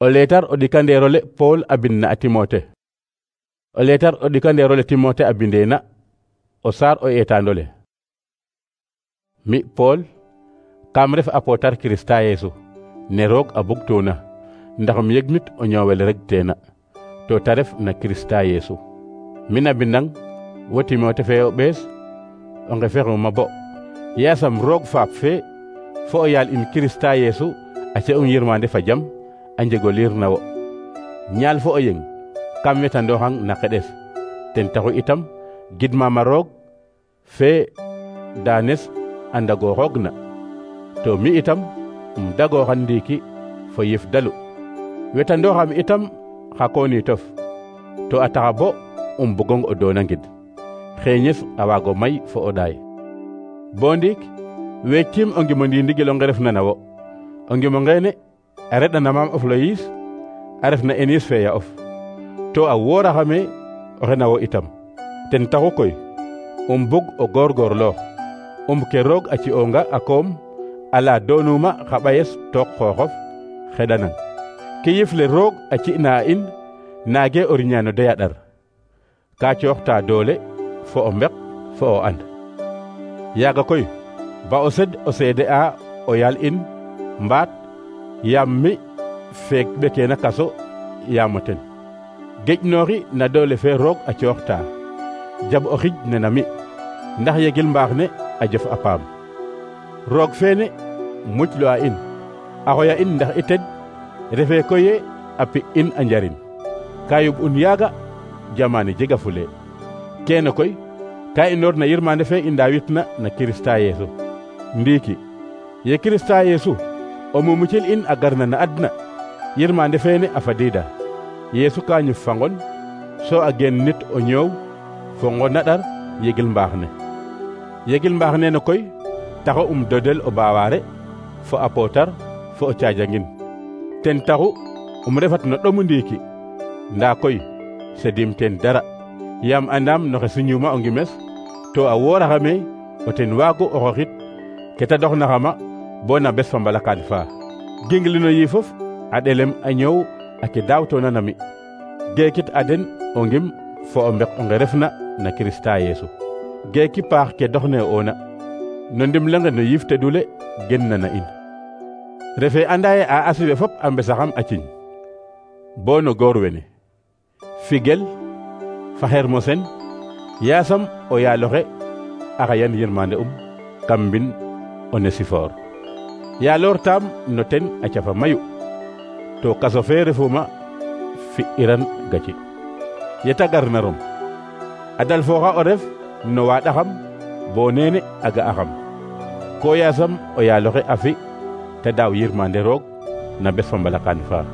O leetar o ɗikandeerole Paul a bind na a Timote. O leetar o ɗikandeerole Timote a bindeena o saar o eetaandole. Mi Paul kam ref apootar Kirista Yeesu ne roog a bugtuuna ndax um yegnit o ñoowel rek teena to ta ref na Kirista Yeesu. Mi na bindang wo Timote fe o ɓees o ngefexuma bo yaasam roog faap fe fo o yaal in Kirista Yeesu a ci'ong yirmande fa jam a njego liir na wo. Ñaal fo o yeng kam wetandooxang na qeɗes ten taxu itam gidmama roog fe daanes a ndagooxoogna to mi itam dagooxan ndiiki fo yif dalu wetandooxam itam xa kooniitof to a taxa bo bugong o doona ngid xeeñes a waago may fo o ɗaay. Bo ndiik weeciim o ngimo ndiindigil onge refna na wo. O ngimo ngeene a reɗana maam of Loyis a refna Enis fe ya of to a wooraxame oxe na wo itam. Ten taxu koy bug o goorgoorloox ke roog a ci'oonga a koom ala doonuma xa ɓayes took xooxof xeɗanang ke yifle roog a ci'na a in naage o riña no doya ɗar ka cooxta doole fo o mbeq fo o and. Yaaga koy ba o sed o seede a o yaal in mbaat yaam mi feek ɓekeena kaso yaam o ten geƴnooxi na doole fe roog a cooxta jab o xij ne na mi ndax yegil mbaax ne a jof a paam. Roog feene muclu a in a xoya in ndax i ted refee koye a pi in a njariñ ka yub un yaaga jamaane jega fule keene koy ka inoor na yirmande fe i ndaawitna na Kirista Yeesu. Ndiiki ye Kirista Yeesu o mumucil in a garna na adna yirmande feene a fadiida Yeesu ka ñuf fa ngon so a geen nit o ñoow fo ngon na ɗar yegil mbaax ne. Yegil mbaax neene koy taxu dodel o baawaare fo a pootar fo o caajangin ten taxu refat no ɗomu ndiiki ndaa koy sedim ten dara yaam andaam noxe suñuma o ngimes to a wooraxame o ten waagu o xoxit ke ta doxnaxama bo na bes fa mbalakaan faa ginglino yiifof a ɗelem a ñoow a ke daawtoona na mi geekit a den o ngim fo o mbeq onge refna na Kirista Yeesu geeki paax ke doxne oona no ndimlenge no yiif tedule genna na in. Refe andaye a asiwe fop a mbesaxam a ciñ bo no goor wene Figel fa Hermosen yaasam o yaaloxe a xayan yirmande kam mbin Onesifor yaaloor taam no ten a cafa mayu to kaso fe refuma fi iran gaci yeta garna Rom a dal fooxa o ref no waaɗaxam bo neene a ga'axam ko yaasam o yaaloxe a fi te daaw yirmande roog na bes fa mbalakaan faa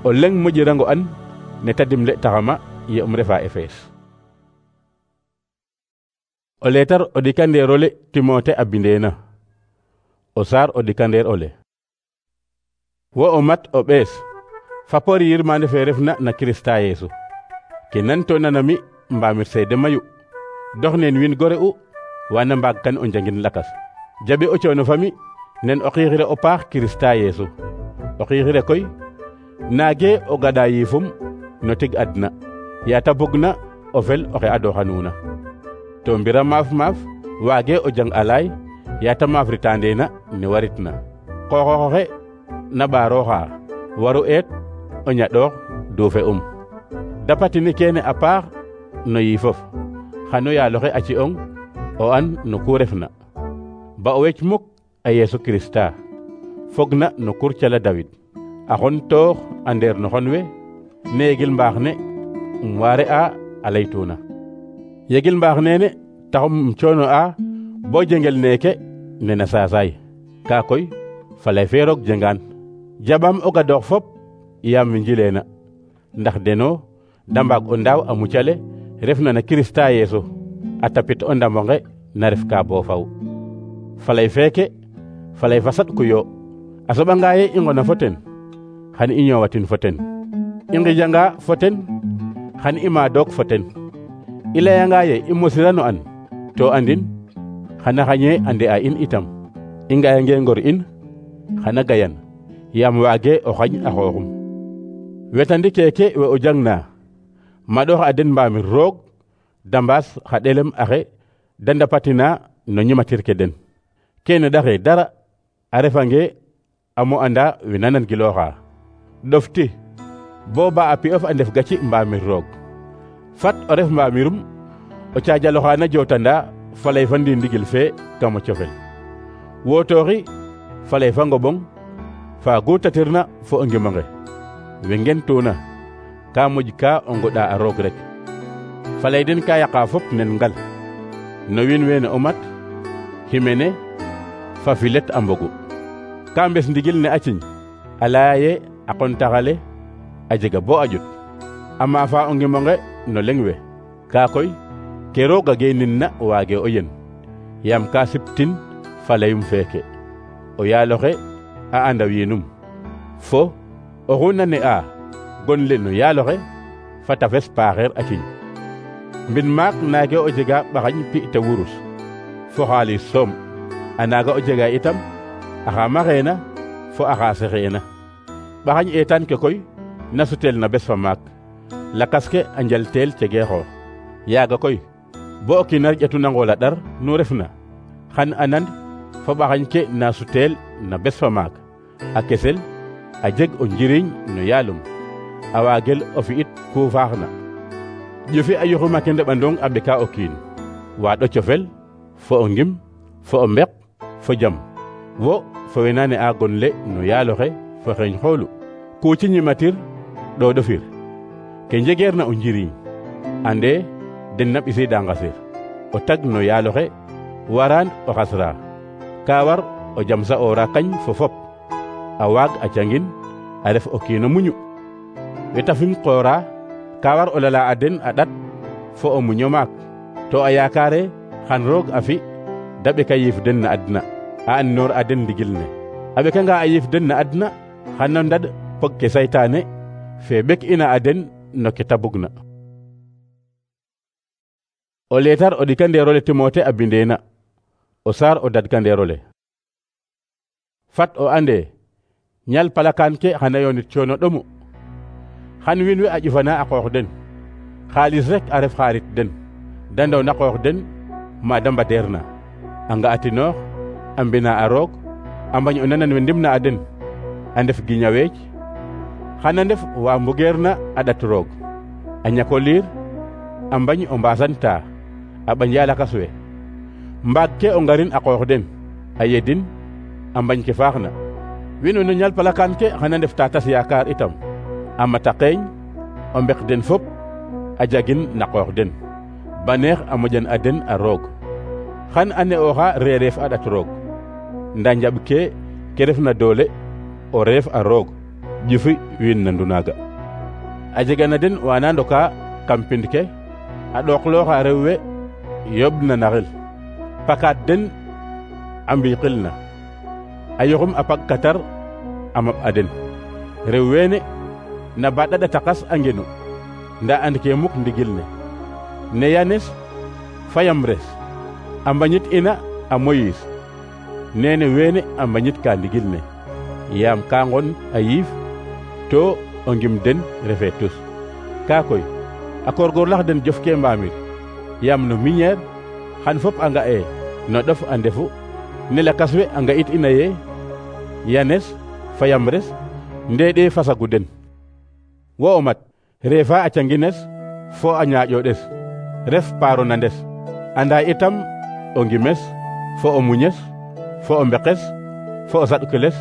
o leng moƴirango an ne ta dimle taxama ye refa Efes. O leetar o ɗikandeerole Timote a bindeena o saar o ɗikandeer ole. Wo o mat o ɓees fapori yirmande fe refna na Kirista Yeesu ke nantoona na mi mbaamir seede mayu dox neen win gore u wana mbaag kan o njangin lakas jaɓe o coono fami nen o xiixire o paax Kirista Yeesu o xiixire koy naage o gada yiifum no tig adna yaa ta bugna o fel oxe adooxanuuna to mbira maaf waage o jang alaay yaa ta maafritandeena ne waritna xooxooxe na ɓaarooxa waru eet o ñaɗoox duufe dapatini keene a paax no yiifof xano yaaloxe a ci'ong o an no ku refna ba o wec muk a Yeesu Kirista fogna no kur cala Dawid a xon toox a ndeer no xon we ne yegil mbaax ne waare a laytuuna yegil mbaax neene taxum coono a bo jengel neeke nena saasaay ka koy falay fe roog jengaan jaɓam o gadoox fop yaam njileena ndax deno da mbaag o ndaaw a mucale refna na Kirista Yeesu a tapit o ndamonge na ref ka bo faw falay feeke falay fa saɗkuyo a soɓanga ye i ngona fo ten xan i ñoowatin fo ten i ngijanga fo ten xan i maadook fo ten i layanga ye i mosirano an to andin xana xañe ande a in itam i ngayange ngor in xana gayan yaam waage o xañ a xooxum wetandi keke we o jangna maɗox a den mbamir roog dambaas xa ɗelem axe da ndapatina no ñimatir ke den kene ɗaxe dara a refange amo anda we nanan gilooxa ɗofti bo ba a pi'of a ndef gaci mbamir roog fat o ref mbamirum o caajaloxaana jotanda faley fa ndindigil fe kamo cofel wootooxi faley fa ngoɓong fa gutatirna fo o ngimonge we ngentuuna ka moƴ ka o ngoɗa a roog rek faley den ka yaqa fop nen ngal no wiin weene o mat ximene fa filet a mbogu ka mbes ndigil ne a ciñ a laya ye a qontaxale a jega bo a ƴut a maafa o ngimonge no leŋ we ka koy ke rooga geenin na waage o yen yaam ka siptin faleyum feeke o yaaloxe a anda wiinum fo oxu nane a gon le no yaaloxe fa tafes paaxeer a ciñ mbin maak naage o jega ɓaxañ pi te wurus fo xaalis soom a naaga o jega itam axa maxeena fo axa sexeena ɓaxañ eetaan ke koy na sutel na bes fa maak lakas ke a njalteel cegee xoox yaaga koy bo o kiin a ƴatu nangool a ɗar nu refna xan anand fo ɓaxañ ke na suteel na bes fa maak a kesel a jeg o njiriñ no yaalum a waagel o fi'it ku faaxna ƴufi a yuxuma ke ndeɓandong a ɓeka o kiin waaɗo cofel fo o ngim fo o mbeq fo jam wo fo we na ne'a gon le no yaaloxe fo xeeñ xoolu ku ci ñimatir ɗoɗofir ke njegeer na o njiriñ ande den na ɓisiida ngasir o tag no yaaloxe waraan o xasra ka war o jam sa'oora kañ fo fop a waag a cangin a ref o kiino muñu wetafim qoora ka war o lala a den a ɗat fo o muño maak to a yaakaare xan roog a fi da ɓeka yiif den na adna a andinoor a den ndigil ne a ɓekanga a yiif den na adna xan o ndad pog ke saytaane fe ɓek ina a den no ke ta bugna o leetar o ɗikandeerole Timote a bindeena o saar o dadkandeerole fat o ande ñal palakaan ke xana yoonit coono ɗomu xan wiin we a ƴufana a qoox den xaalis rek a ref xaarit den da ndow na qoox den ma da mbateer na a nga'atinoox a mbina a roog a mbañ o nanan we ndimna a den a ndef giñaweec xana ndef wa mbugeer na a ɗat roog a ñako liir a mbañ o mbasanta a ɓanja lakas we mbaag ke o ngarin a qoox den a yedin a mbañ ke faaxna wiin we no ñal palakaan ke xana ndef tatas yaakaar itam a mata qeeñ o mbek den fop a jagin na qoox den baneex a moƴan a den a roog xan a ne'ooxa reereef a ɗat roog nda njaɓ ke refna doole o reef a roog ƴufi wiin nandu naaga a jega na den wana ndoka kam pind ke a ɗooqlooxa rew we yoɓna naxel pakaat den a mbiiqil na a yoxum a pag katar a maɓ a den rew weene na baɗaɗa taqas a ngenu nda and ke muk ndigil ne yanes fa yamres a mbañit ina a moyiis nene weene a mbañit ka ndigil ne yaam ka ngon a yiif to o ngim den refe tus ka koy a korgorlax den jof ke mbaamir yaam no miñeer xan fop a nga'e no ɗof a ndefu ne lakas we a nga'it ina ye yanes fa yamres ndeeɗe fasagu den wo o mat reefa a cangines fo a ñaaƴoɗes ref paaro na ndes anda itam o ngimes fo o muñes fo o mbeqes fo o saɗkeles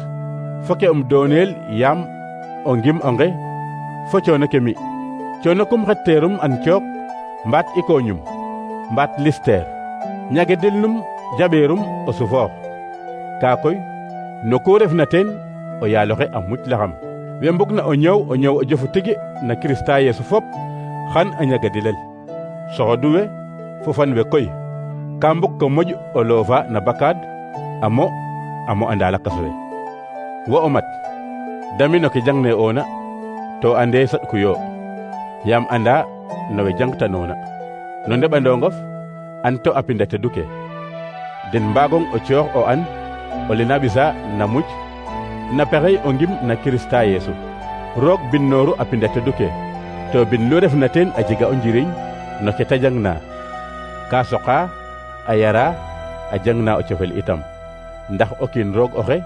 fo ke dooneel yaam o ngim o nge fo coono ke mi coono kum xetteerum an cook mbaat ikoñum mbaat listeer ñagedel num jaɓeerum o sufoox kaa koy no ku refna teen o yaaloxe a muclaxam we mbugna o ñëw o jofu tigi na Kirista Yeesu fop xan a ñagadilel soxodu we fo fan we koy ka mbug ko moƴ o loofa na bakaad amo anda lakas we wo o mat dami no ke jangne oona to ande saɗkuyo yaam anda no we jangtanoona no ndeɓandongof an to a pinda teduke den mbaagong o coox o an o lena ɓisa na muc na pexey o ngim na Kirista Yeesu roog binnooru a pinda tedu ke to bin lu refna teen a jega o njiriñ no ke ta jangna ka soqa a yara a jangna o cofel itam ndax o kiin roog oxe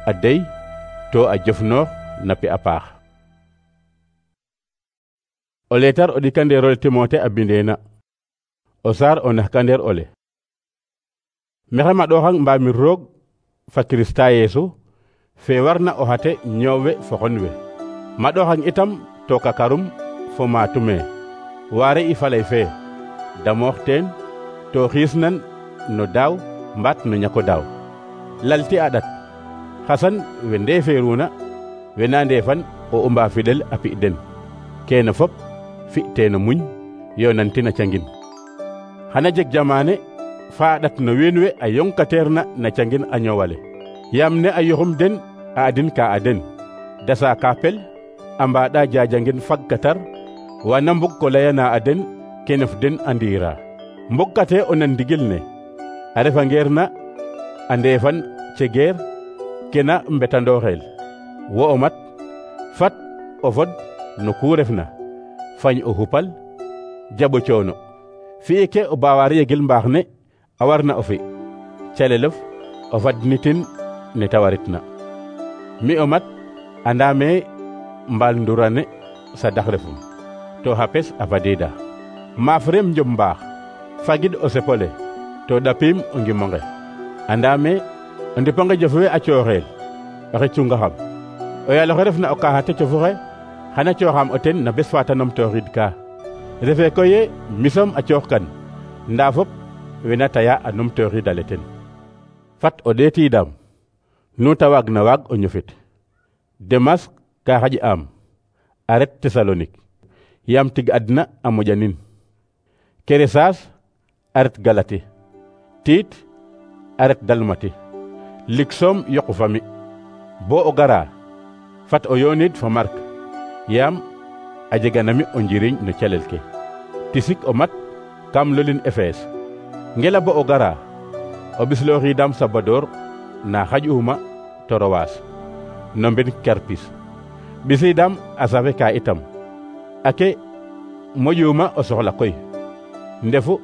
a dey to a jofnoox na pi a paax. O leetar o ɗikandeerole Timote a bindeena o saar o naxkandeer ole maxey maɗooxang mbaamir roog fa Kirista Yeesu fe warna o xate ñoowwe fo xon we maɗooxang itam to kakarum fo maatume waare i faley fe damoox teen to xiisnan no daaw mbaat no ñako daaw lalti a ɗat xasan we ndeeferuna we na ndeefan o umba fidel a pi den keene fop fi teeno muñ yonantin a cangin xana jeg jamaane fa a ɗat no wiin we a yonkateerna na cangin a ñoowale yaam ne a yoxum den a adin ka a den dasa ka pel a mbaɗa jajangin fagkatar wana mbug ko layana a den kenef den a ndiira mbogkate o nan ndigil ne a refa ngeer na a ndeefan cegeer kena mbetandooxeel wo o mat fat o fod no ku refna fañ o xupal jaɓo coono fi'i ke o baawaar yegil mbaax ne a warna o fi calelof o fadnitin ne ta waritna mi o mat andame mbaal ndurane sadax refum to xapes a fadiida maaf rem njom mbaax fagid o sepole to ɗapiim o ngimonge andame o ndiponge jof we a cooxeel oxe cungaxam o yaal oxe refna o kaaxa te cofuxe xana cooxam o ten na bes fa ta numtooxid ka refe koye misom a cooxkan ndaa fop wena taya a numtooxidale ten fat o ɗeetiidam nu ta waagna waag o ñofit Demas ka xaƴ'aam a ret Tesalonik yaam tig adna a moƴanin Keresas a ret Galati Tiit a ret Dalmati lig soom yoqu fami bo o gara fat o yoonid fo Mark yaam a jeganami o njiriñ no calel ke tisik o mat kam lolin Efes ngela bo o gara o ɓislooxiidam Sabador na xaƴ'uma Torowas no mben Karpis ɓisiidam a safe ka itam ake moƴuma o soxla koy ndefu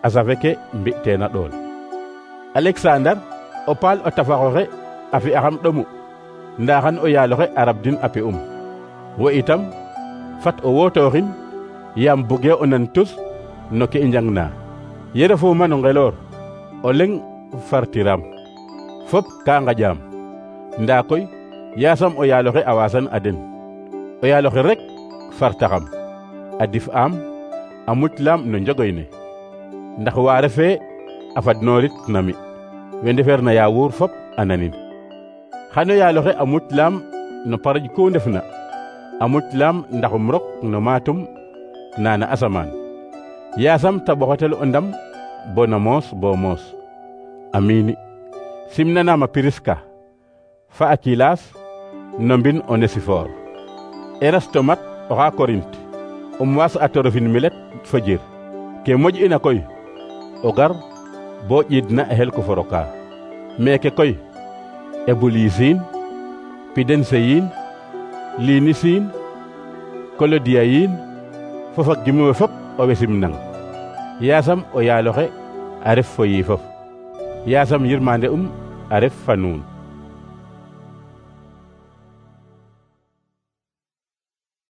a safe ke mbi'teena ɗool Alexandar o paal o tafaxoxe a fi'axam ɗomu ndaa xan o yaaloxe a rabdin a pi'um wo itam fat o wootooxin yaam buge o nan tus no ke i njangna ye refuuma no ngeloor o leŋ fartiram fop ka ngaƴaam ndaa koy yaasam o yaaloxe a waasan a den o yaaloxe rek fartaxam a dif aam a muclaam no njogoy ne ndax waa refee a fadnoorit na mi we ndefeerna yaawuur fop a nanin xano yaaloxe a muclaam no paraj ku ndefna a muclaam ndaxum rok no maatum nana asamaan yaasam ta ɓoxotel o ndam bo na moos bo moos amiini simnanaama Piriska fa Akilas no mbin Onesifor Erastomat oxa Korint waas a torofin milet fo jir ke moƴ'ina koy o gar bo ƴiidna a xel ko foroka meeke koy Ebulisiin Pidenseyiin Linisiin Kolodiyayiin fo fak gimi we fop o we simnang yaasam o yaaloxe a ref fo yiifof yaasam yirmande a ref fa nuun